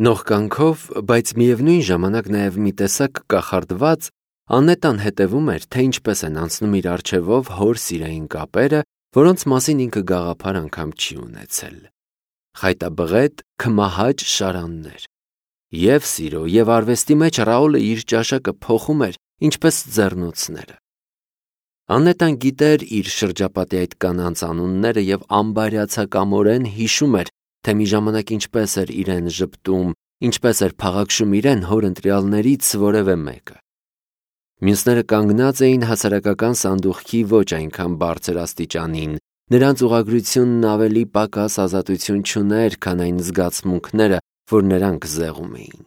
Նողկանքով, բայց միևնույն ժամանակ նաև մի տեսակ կախարդված, Անետան հետևում էր, թե ինչպես են անցնում իր առջևով հոր սիրային կապերը, որոնց մասին ինքը գաղափար անգամ չի ունեցել։ Խայտաբղետ, քմահաճ շարաններ։ Եվ սիրո, եւ արվեստի մեջ Ռաուլը իր ճաշակը փոխում էր, ինչպես ձեռնոցները։ Անետան գիտեր իր շրջապատի այդ կանանց անունները եւ ամբարյացակամորեն հիշում էր, թե մի ժամանակ ինչպես էր իրեն ժպտում, ինչպես էր փաղաքշում իրեն հոր ընտրյալներից որևէ մեկը։ Մյուսները կանգնած էին հասարակական սանդուղքի ոչ այնքան բարձր աստիճանին, նրանց ուղղագրությունն ավելի պակաս ազատություն չուներ, քան այն զգացմունքները, որ նրանք զեղում էին։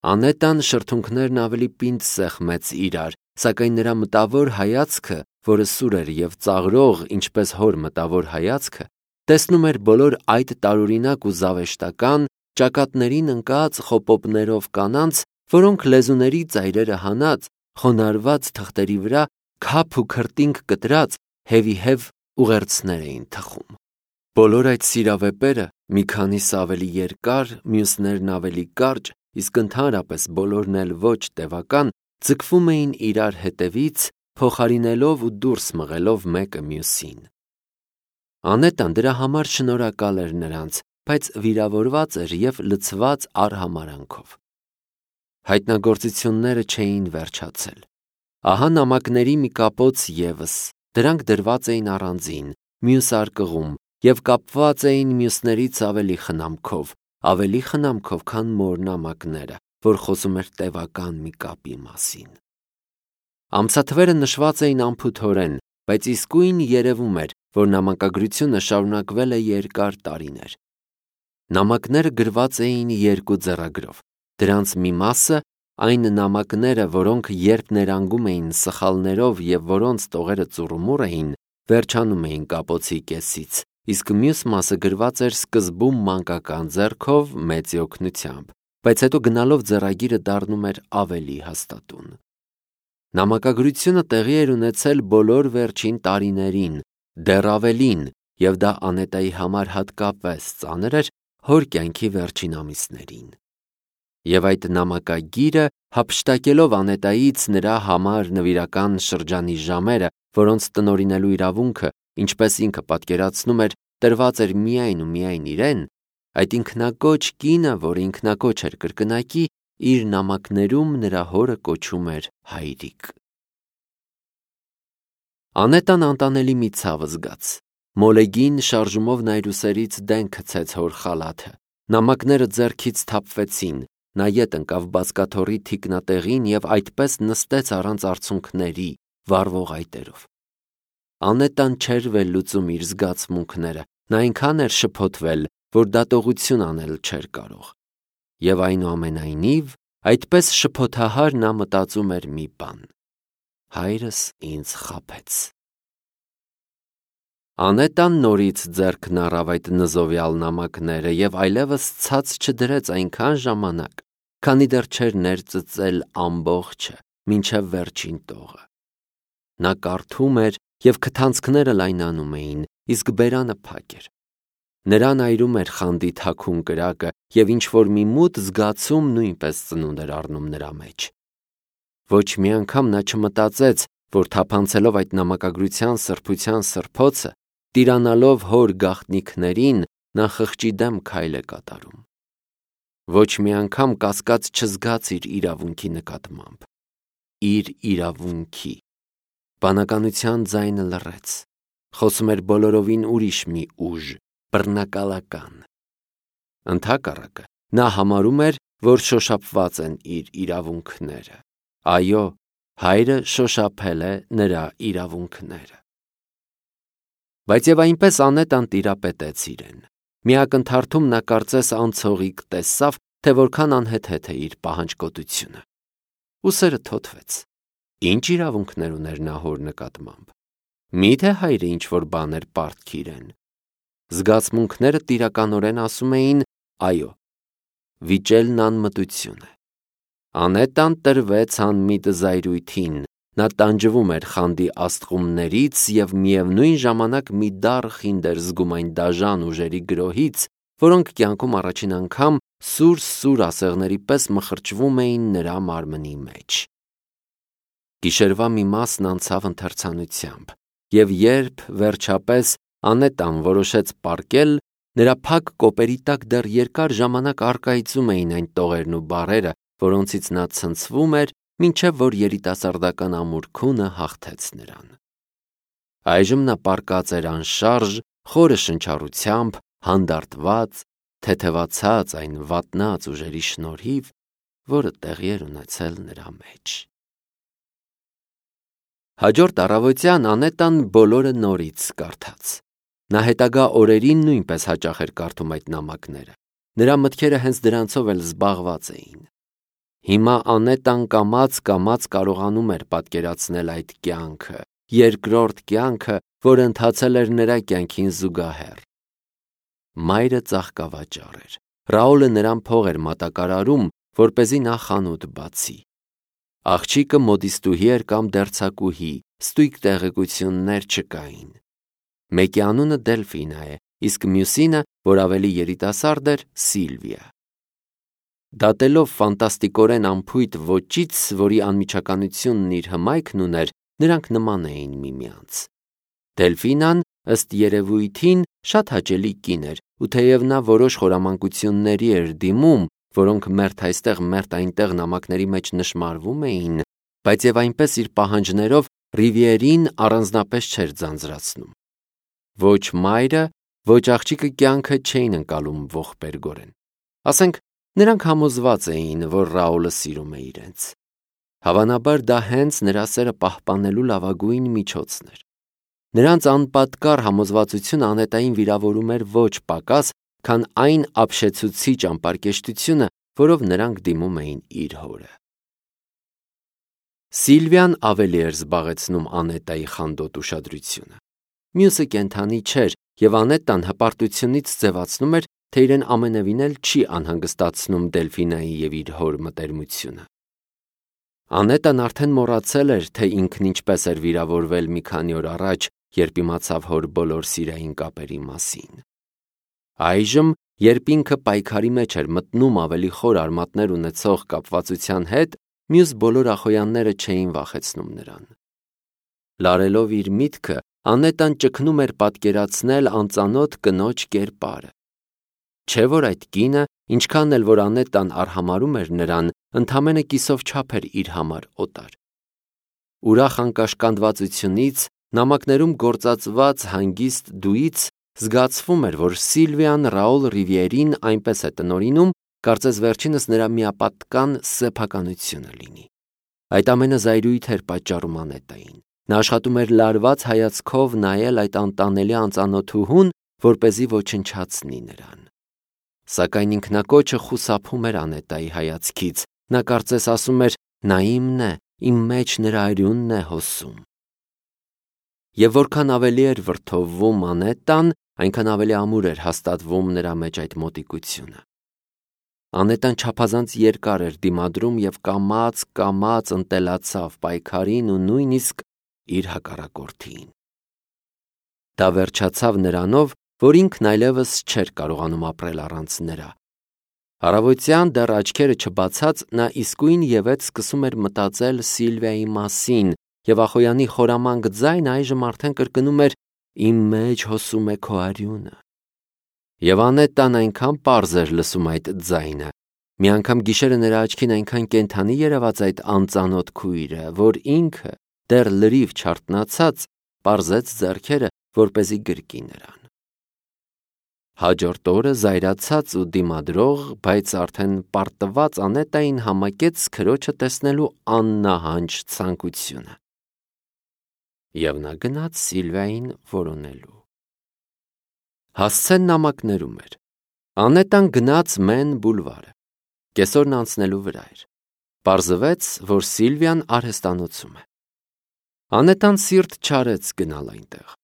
Անետան շրթունքներն ավելի պինդ սեղմեց իրար, սակայն նրա մտավոր հայացքը, որը սուր էր եւ ծաղրող, ինչպես հոր մտավոր հայացքը, տեսնում էր բոլոր այդ տարօրինակ ու զավեշտական, ճակատներին ընկած խոպոպներով կանանց, որոնք լեզուների ծայրերը հանած, խոնարհված թղթերի վրա քափ ու քրտինք կտրած հևիհև ուղերձներ էին թխում։ Բոլոր այդ սիրավեպերը, մի քանիսը ավելի երկար, մյուսներն ավելի կարճ, իսկ ընդհանրապես բոլորն էլ ոչ տևական, ձգվում էին իրար հետևից, փոխարինելով ու դուրս մղելով մեկը մյուսին։ Անետան դրա համար շնորհակալ էր նրանց, բայց վիրավորված էր եւ լցված արհամարանքով։ Հայտնագործությունները չէին վերջացել։ Ահա նամակների մի կապոց ևս, դրանք դրված էին առանձին, մյուս արկղում եւ կապված էին մյուսներից ավելի խնամքով, քան մոր նամակները, որ խոսում էր տևական մի կապի մասին։ Ամսաթվերը նշված էին անփութորեն, բայց իսկույն երևում էր, որ նամակագրությունը շարունակվել է երկար տարիներ։ Նամակները գրված էին երկու ձեռագրով։ Դրանց մի մասը, այն նամակները, որոնք երբ ներանգում էին սխալներով եւ որոնց տողերը ծուռումուռ էին, վերջանում էին կապոցի կեսից, իսկ մյուս մասը գրված էր սկզբում մանկական ձեռքով մեծի օգնությամբ, բայց հետո գնալով ձեռագիրը դառնում էր ավելի հաստատուն։ Նամակագրությունը տեղի էր ունեցել բոլոր վերջին տարիներին, դեռ ավելին, եւ դա Անետայի համար հատկապես ծանր էր հոր կյանքի վերջին ամիսներին։ Եվ այդ նամակագիրը, հափշտակելով Անետայից նրա համար նվիրական շրջանի ժամերը, որոնց տնօրինելու իրավունքը, ինչպես ինքը պատկերացնում էր, տրված էր միայն ու միայն իրեն, այդ ինքնակոչ կինը, որ ինքնակոչ էր կրկնակի, իր նամակներում նրա հորը կոչում էր հայրիկ։ Անետան անտանելի մի ցավ զգաց։ Մոլեգին շարժումով նայրուսերից դեն գցեց հոր խալաթը։ Նամակները ձեռքից թափվեցին, նա ետ ընկավ բազկաթոռի թիկնատեղին եւ այդպես նստեց առանց արցունքների, վառվող այտերով։ Անետան չէր վերլուծում իր զգացմունքները, նա այնքան էր շփոթվել, որ դատողություն անել չէր կարող։ Եվ այնուամենայնիվ, այդպես շփոթահար նա մտածում էր մի բան. հայրս ինձ խաբեց։ Անետան նորից ձեռքն առավ այդ նզովյալ նամակները եւ այլևս ցած չդրեց այնքան ժամանակ, քանի դեռ չէր ներծծել ամբողջը, մինչև վերջին տողը։ Նա կարդում էր եւ քթանցքները լայնանում էին, իսկ բերանը փակ էր։ Նրան այրում էր խանդի թաքուն կրակը եւ ինչ-որ մի մութ զգացում նույնպես ծնունդ էր առնում նրա մեջ։ Ոչ մի անգամ նա չմտածեց, որ թափանցելով այդ նամակագրության սրբության սրբոցը, տիրանալով հոր գաղտնիքներին, նա խղճի դեմ քայլ է կատարում։ Ոչ մի անգամ կասկած չզգաց իր իրավունքի նկատմամբ։ Իր իրավունքի։ Բանականության ձայնը լռեց։ Խոսում էր բոլորովին ուրիշ մի ուժ, բռնակալական։ Ընդհակառակը, նա համարում էր, որ շոշափված են իր իրավունքները։ Այո, հայրը շոշափել է նրա իրավունքները։ Բայց եւ այնպես Անետան տիրապետեց իրեն։ Մի ակնթարթում նա կարծես անցողիկ տեսավ, թե որքան անհեթեթ է իր պահանջկոտությունը։ Ուսերը թոթվեց։ Ինչ իրավունքներ ուներ նա հոր նկատմամբ։ Միթե հայրը ինչ-որ բան էր պարտքի իրեն։ Զգացմունքները տիրականորեն ասում էին այո։ Վիճելն անմտություն է։ Անետան տրվեց անմիտ զայրույթին, նա տանջվում էր խանդի աստղումներից եւ միևնույն ժամանակ մի դառ խինդ էր զգում այն դաժան ուժերի գրոհից, որոնք կյանքում առաջին անգամ սուր ասեղների պես մխրճվում էին նրա մարմնի մեջ։ Գիշերվա մի մասն անցավ ընթերցանությամբ, և երբ վերջապես Անետան որոշեց պառկել, նրա փակ կոպերի տակ դեռ երկար ժամանակ առկայծում էին այն տողերն ու բառերը, որոնցից նա ցնցվում էր, մինչև որ երիտասարդական ամուր քունը հաղթեց նրան։ Այժմ նա պառկած էր անշարժ, խորը շնչառությամբ, հանդարտված, թեթևացած այն վատնած ուժերի շնորհիվ, որը տեղի էր ունեցել նրա մեջ։ Հաջորդ առավոտյան Անետան բոլորը նորից կարդաց։ Նա հետագա օրերին նույնպես հաճախ էր կարդում այդ նամակները։ Նրա մտքերը հենց դրանցով էլ զբաղված էին։ Հիմա Անետան կամաց կարողանում էր պատկերացնել այդ կյանքը, երկրորդ կյանքը, որը ընթացել էր նրա կյանքին զուգահեռ։ Մայրը ծաղկավաճառ էր։ Ռաուլը նրան փող էր մատակարարում, որպեսզի նա խանութ բացի։ Աղջիկը մոդիստուհի էր կամ դերձակուհի, ստույգ տեղեկություններ չկային։ Մեկի անունը Դելֆինա է, իսկ մյուսինը, որ ավելի երիտասարդ էր, Սիլվիա։ Դատելով ֆանտաստիկորեն անփույթ ոճից, որի անմիջականությունն իր հմայքն ուներ, նրանք նման էին միմյանց։ Դելֆինան, ըստ երևույթին, շատ հաճելի կին էր, ու թեև նա որոշ խորամանկությունների էր դիմում, որոնք մերթ այստեղ, մերթ այնտեղ նամակների մեջ նշմարվում էին, բայց և այնպես իր պահանջներով Ռիվիերին առանձնապես չէր ձանձրացնում։ Ոչ մայրը, ոչ աղջիկը կյանքը չէին ընկալում ողբերգորեն։ Ասենք, նրանք համոզված էին, որ Ռաուլը սիրում է իրենց։ Հավանաբար դա հենց նրա սերը պահպանելու լավագույն միջոցն էր։ Նրանց անպատկառ համոզվածությունը Անետային վիրավորում էր ոչ պակաս, քան այն ապշեցուցիչ անպարկեշտությունը, որով նրանք դիմում էին իր հորը։ Սիլվիան ավելի էր զբաղեցնում Անետայի խանդոտ ուշադրությունը։ Մյուսը կենդանի չէր, և Անետան հպարտությունից ձևացնում էր, թե իրեն ամենևին էլ չի անհանգստացնում Դելֆինայի և իր հոր մտերմությունը։ Անետան արդեն մոռացել էր, թե ինքն ինչպես էր վիրավորվել մի քանի օր առաջ, երբ իմացավ հոր բոլոր սիրային կապերի մասին։ Այժմ, երբ ինքը պայքարի մեջ էր մտնում ավելի խոր արմատներ ունեցող կապվածության հետ, մյուս բոլոր ախոյանները չէին վախեցնում նրան։ Լարելով իր միտքը, Անետան ճգնում էր պատկերացնել անծանոթ կնոջ կերպարը։ Չէ՞ որ այդ կինը, ինչքան էլ որ Անետան արհամարհում էր նրան, ընդամենը կիսով չափ էր իր համար օտար։ Ուրախ անկաշկանդվածությունից, նամակներում գործածված հանգիստ դույից զգացվում էր, որ Սիլվիան Ռաուլ Ռիվիերին այնպես է տնօրինում, կարծես վերջինս նրա միապատկան սեփականությունը լինի։ Այդ ամենը զայրույթ էր պատճառում Անետային։ Նա աշխատում էր լարված հայացքով նայել այդ անտանելի անծանոթուհուն, որպեսզի ոչնչացնի նրան։ Սակայն ինքնակոչը խուսափում էր Անետայի հայացքից։ Նա կարծես ասում էր. «Նա իմն է, իմ մեջ նրա արյունն է հոսում»։ Եվ որքան ավելի էր վրդովվում Անետան, այնքան ավելի ամուր էր հաստատվում նրա մեջ այդ մոտիկությունը։ Անետան չափազանց երկար էր դիմադրում և կամաց ընտելացավ պայքարին ու նույնիսկ իր հակառակորդին։ Դա վերջացավ նրանով, որ ինքն այլևս չէր կարողանում ապրել առանց նրա։ Առավոտյան դեռ աչքերը չբացած նա իսկույն ևեթ սկսում էր մտածել Սիլվիայի մասին, և ախոյանի խորամանկ ձայնը այժմ արդեն կրկնում էր. «Իմ մեջ հոսում է քո արյունը»։ Եվ Անետան այնքան պարզ էր լսում այդ ձայնը, մի անգամ գիշերը նրա աչքին այնքան կենդանի երևաց այդ անծանոթ քույրը, որ ինքը, դեռ լրիվ չարթնացած, պարզեց ձեռքերը, որպեսզի գրկի նրան։ Հաջորդ օրը զայրացած ու դիմադրող, բայց արդեն պարտված Անետային համակեց քրոջը տեսնելու աննահանջ ցանկությունը։ Եվ նա գնաց Սիլվիային որոնելու։ Հասցեն նամակներում էր։ Անետան գնաց Մեն բուլվարը։ Կեսօրն անցնելու վրա էր։ Պարզվեց, որ Սիլվիան արհեստանոցում է։ Անետան սիրտ չարեց գնալ այնտեղ։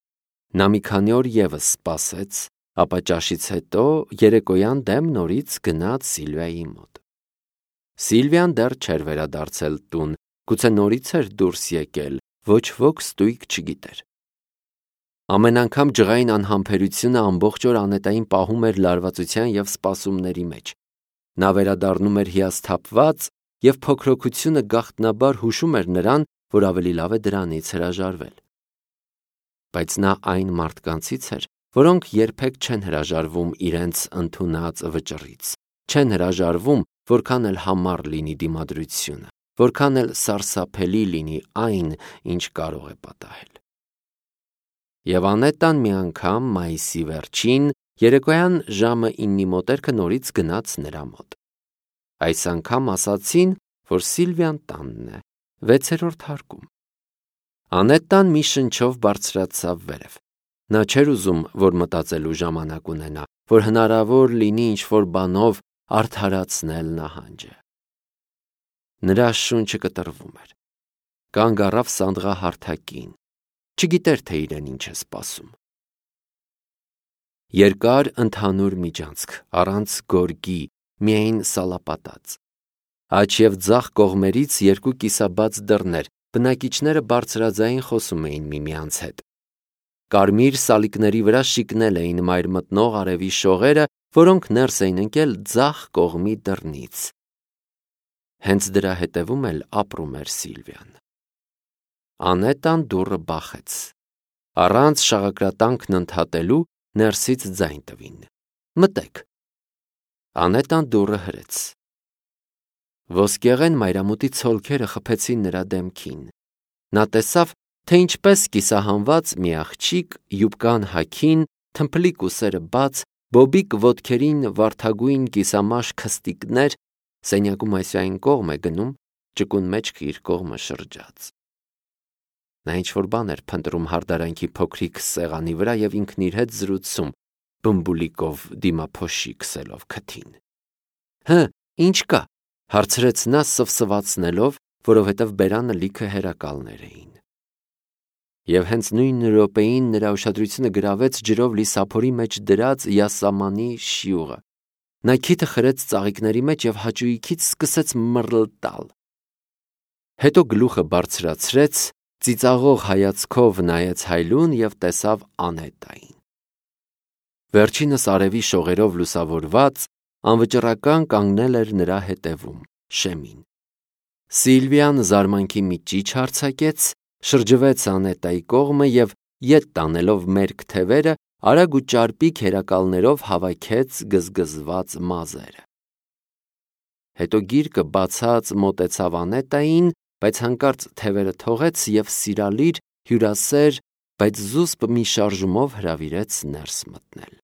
Նա մի քանի օր ևս սպասեց, ապա ճաշից հետո երեկոյան դեմ նորից գնաց Սիլվիայի մոտ։ Սիլվիան դեռ չէր վերադարձել տուն, գուցե նորից էր դուրս եկել, ոչ ոք ստույգ չգիտեր։ Ամեն անգամ ջղային անհամբերությունը ամբողջ օր Անետային պահում էր լարվածության և սպասումների մեջ։ Նա վերադառնում էր հիասթափված և փոքրոքությունը գաղտնաբար հուշում էր նրան, որ ավելի լավ է դրանից հրաժարվել։ Բայց նա այն մարդկանցից էր, որոնք երբեք չեն հրաժարվում իրենց ընդունած վճռից, չեն հրաժարվում, որքան էլ համառ լինի դիմադրությունը, որքան էլ սարսափելի լինի այն, ինչ կարող է պատահել։ Եվ Անետան մի անգամ մայիսի վերջին, երեկոյան ժամը 9-ի մոտերքը նորից գնաց նրա մոտ։ Այս անգամ ասացին, որ Սիլվիան տանն է, 6-րդ հարկում։ Անետան մի շնչով բարձրացավ վերև։ Նա չէր ուզում, որ մտածելու ժամանակ ունենա, որ հնարավոր լինի ինչ-որ բանով արդարացնել նահանջը։ Նրա շունչը կտրվում էր։ Կանգ առավ սանդղահարթակին, չգիտեր, թե իրեն ինչ է սպասում։ Երկար ընդհանուր միջանցք, առանց գորգի, միայն սալապատած։ Աջ և ձախ կողմերից երկու կիսաբաց դռներ, բնակիչները բարձրաձայն խոսում էին միմյանց հետ։ Կարմիր սալիկների վրա շիկնել էին մայր մտնող արևի շողերը, որոնք ներս էին ընկել ձախ կողմի դռնից։ Հենց դրա հետևում էլ ապրում էր Սիլվիան։ Անետան դուռը բախեց։ Առանց շաղակրատանքն ընդհատելու ներսից ձայն տվին. «Մտեք»։ Անետան դուռը հրեց։ Ոսկեղեն մայրամուտի ցոլքերը խփեցին նրա դեմքին։ Նա տեսավ, թե ինչպես կիսահանված մի աղջիկ յուբկան հագին, թմփլիկ ուսերը բաց, բոբիկ ոտքերին վարդագույն կիսամաշ քստիկներ, սենյակում այսյային կողմ է գնում, ճկուն մեջքը իր կողմը շրջած։ Նա ինչ-որ բան էր փնտրում հարդարանքի փոքրիկ սեղանի վրա և ինքն իր հետ զրուցում, բմբուլիկով դիմափոշի քսելով քթին։ «Հը, ինչ կա», հարցրեց նա սվսվածնելով, որովհետև բերանը լիքը հերակալներ էին։ Եվ հենց նույն րոպեին նրա ուշադրությունը գրավեց ջրով լի սափորի մեջ դրած յասամանի շիուղը։ Նա քիթը խրեց ծաղիկների մեջ և հաճույքից սկսեց մռլտալ։ Հետո գլուխը բարձրացրեց, ծիծաղող հայացքով նայեց հայլուն և տեսավ Անետային։ Վերջինս արևի շողերով լուսավորված, անվճռական կանգնել էր նրա հետևում, շեմին։ Սիլվիան զարմանքի մի ճիչ արձակեց, շրջվեց Անետայի կողմը և ետ տանելով մերկ թևերը, արագ ու ճարպիկ հերակալներով հավաքեց գզգզված մազերը։ Հետո գիրկը բացած մոտեցավ Անետային, բայց հանկարծ թևերը թողեց և սիրալիր, հյուրասեր, բայց զուսպ մի շարժումով հրավիրեց ներս մտնել։